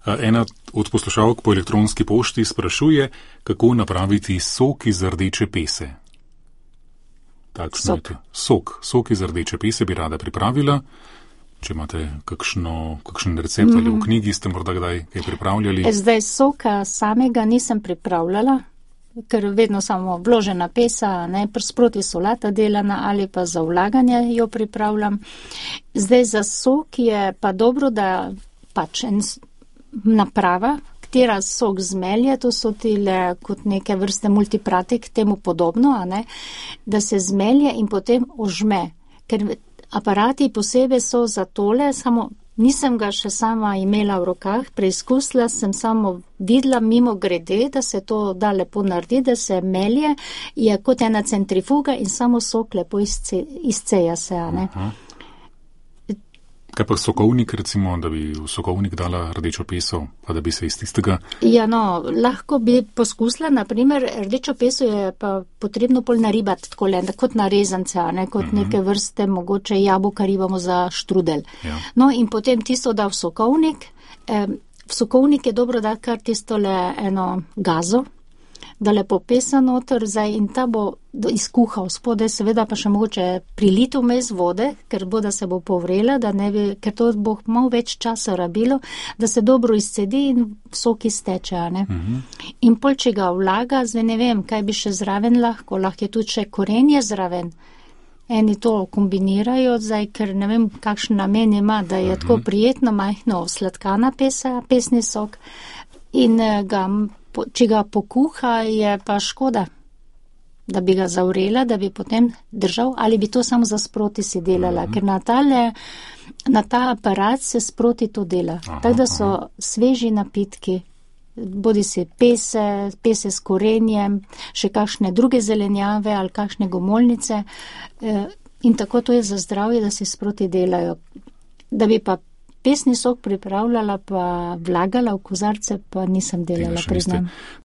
Ena od poslušalk po elektronski pošti sprašuje, kako napraviti sok iz rdeče pese. Sok iz rdeče pese bi rada pripravila. Če imate kakšen recept ali v knjigi ste morda kdaj kaj pripravljali? Zdaj soka samega nisem pripravljala, ker vedno samo vložena pesa, ne, sproti solata delana ali pa za vlaganje jo pripravljam. Zdaj za sok je pa dobro, da pač naprava, katera sok zmelje, to so tile kot neke vrste multipratik, temu podobno, a ne, da se zmelje in potem ožme. Ker aparati posebej so za tole, samo nisem ga še sama imela v rokah, preizkusila sem samo videla mimo grede, da se to da lepo naredi, da se melje, je kot ena centrifuga in samo sok lepo izceja se, a ne. Kaj pa sokovnik, recimo, da bi v sokovnik dala rdečo peso, pa da bi se iz tistega... Ja, no, lahko bi poskusila, naprimer, rdečo peso je pa potrebno pol naribati takole, kot narezance, ne, kot neke vrste, mogoče jabolka ribamo za štrudel. Ja. No, in potem tisto da v sokovnik. V sokovnik je dobro dati kar tistole eno gazo, da lepo pesa noter zdaj in ta bo izkuhal spodaj, seveda pa še mogoče prilito vmes vode, ker bo, da se bo povrela, da ne bi, ker to bo malo več časa rabilo, da se dobro izcedi in sok izteče, ne. In pol, če ga vlaga, zdaj ne vem, kaj bi še zraven lahko je tudi še korenje zraven. Eni to kombinirajo zdaj, ker ne vem, kakšen namen ima, da je tako prijetno, majhno sladkana pesa, pesni sok in če ga pokuha, je pa škoda, da bi ga zavrela, da bi potem držal, ali bi to samo za sproti si delala, ker na ta aparat se sproti to dela. Tako da so sveži napitki, bodi si pese s korenjem, še kakšne druge zelenjave ali kakšne gomolnice in tako to je za zdravje, da se sproti delajo. Da bi pa pesni sok pripravljala pa vlagala v kozarce, pa nisem delala, priznam.